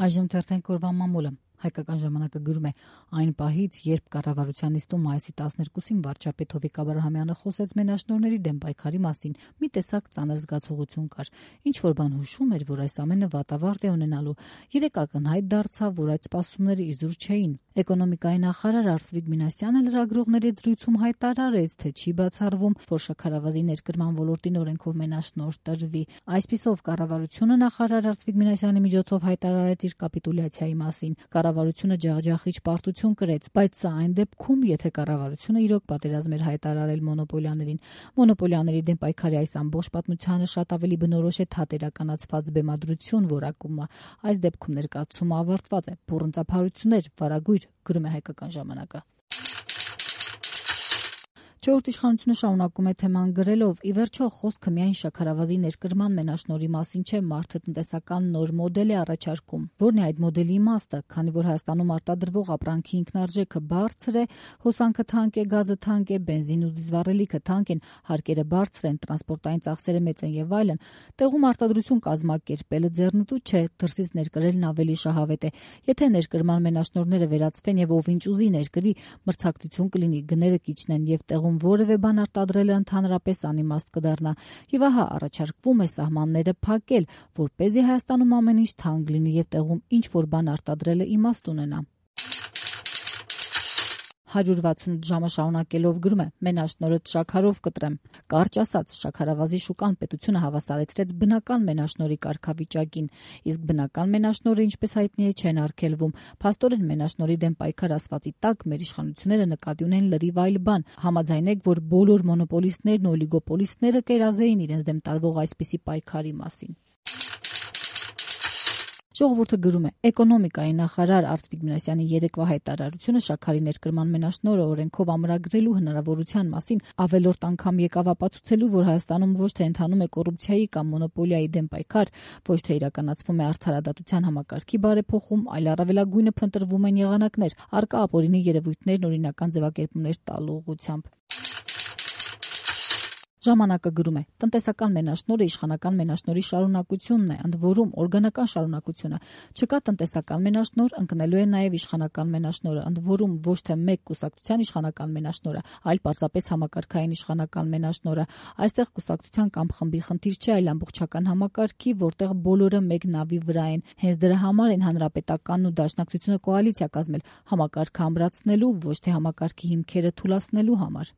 Այժմ թերթենք օրվա մամուլը։ Հայկական ժամանակը գրում է. այն պահից, երբ կառավարության նիստում մայիսի 12-ին վարչապետ Հովիկ Աբրահամյանը խոսեց մենաշնորհների դեմ պայքարի մասին, մի տեսակ ծանր զգացողություն կար։ Ինչ-որ բան հուշում էր, որ այս ամենը վատավարտ է ունենալու։ Երեկ ակնհայտ դարձավ, որ այդ սպասումները իզուր չէին։ Էկոնոմիկայի նախարար Արծվիկ Մինասյանը լրագրողների զրույցում հայտարարեց, թե չի բացառվում, որ շաքարավազի ներկրման ոլորտին օրենքով մենաշնորհ տրվի։ Այսպիսով, կառավարությունը նախարար Արծվիկ Մինասյանի միջոցով հայտարարեց իր կապիտուլյացիայի մասին։ Կառավարությունը ջախջախիչ պարտություն կրեց, բայց սա այն դեպքում, եթե կառավարությունը իրոք պատերազմ էր հայտարարել մոնոպոլիաներին։ Մոնոպոլիաների դեմ պայքարի այս ամբողջ պատմությանը շատ ավելի բնորոշ է թատերականացված բեմադրություն որակումը։ Այս դեպքում ներկայացումը ավարտված է։ Բուռն ծափարություններ, վարագույր, գրում է Հայկական ժամանակը։ Չորրորդ իշխանությունը շարունակում է թեման գրելով. ի վերջո խոսքը միայն շաքարավազի ներկրման մենաշնորհի մասին չէ, մարդը տնտեսական նոր մոդել է առաջարկում։ Որն է այդ մոդելի իմաստը, քանի որ Հայաստանում արտադրվող ապրանքի ինքնարժեքը բարձր է, հոսանքը թանկ է, գազը թանկ է, բենզին ու դիզվառելիքը թանկ են, հարկերը բարձր են, տրանսպորտային ծախսերը մեծ են եւ այլն։ Տեղում արտադրություն կազմակերպելը ձեռնտու չէ, դրսից ներկրելն ավելի շահավետ է։ Եթե ներկրման մենաշնորհները վերացվեն եւ ով ինչ ուզի ներկրի, մրցակցություն կլինի, գները կիջնեն եւ տեղում որևէ բան արտադրելը ընդհանրապես անիմաստ կդառնա։ Եվ ահա առաջարկվում է սահմանները փակել, որպեսզի Հայաստանում ամեն ինչ թանկ լինի եւ տեղում ինչ որ բան արտադրելը իմաստ ունենա։ 168 ժամը շարունակելով գրում է. մենաշնորհը շաքարով կտրեմ։ Կարճ ասած, շաքարավազի շուկան պետությունը հավասարեցրեց բնական մենաշնորհի կարգավիճակին, իսկ բնական մենաշնորհը, ինչպես հայտնի է, չեն արգելվում։ Փաստորեն մենաշնորհի դեմ պայքար ասվածի տակ մեր իշխանությունները նկատի ունեն լրիվ այլ բան։ Համաձայնեք, որ բոլոր մոնոպոլիստներն ու օլիգոպոլիստները կերազեին իրենց դեմ տարվող այսպիսի պայքարի մասին։ Ժողովուրդը գրում է. էկոնոմիկայի նախարար Արծվիկ Մինասյանի երեկվա հայտարարությունը շաքարի ներկրման մենաշնորհը օրենքով ամրագրելու հնարավորության մասին ավելորդ անգամ եկավ ապացուցելու, որ Հայաստանում ոչ թե ընթանում է կոռուպցիայի կամ մոնոպոլիայի դեմ պայքար, ոչ թե իրականացվում է արդարադատության համակարգի բարեփոխում, այլ առավելագույնը փնտրվում են եղանակներ, առկա ապօրինի երևույթներն օրինական ձևակերպումներ տալու ուղղությամբ։ Ժամանակը գրում է. տնտեսական մենաշնորհը իշխանական մենաշնորհի շարունակությունն է, ընդ որում օրգանական շարունակությունը։ Չկա տնտեսական մենաշնորհ, ընկնելու է նաև իշխանական մենաշնորհը, ընդ որում ոչ թե մեկ կուսակցության իշխանական մենաշնորհը, այլ պարզապես համակարգային իշխանական մենաշնորհը։ Այստեղ կուսակցության կամ խմբի խնդիր չէ, այլ ամբողջական համակարգի, որտեղ բոլորը մեկ նավի վրա են։ Հենց դրա համար են հանրապետականն ու դաշնակցությունը կոալիցիա կազմել համակարգը ամրացնելու, ոչ թե համակարգի հիմքերը թուլացնելու համար։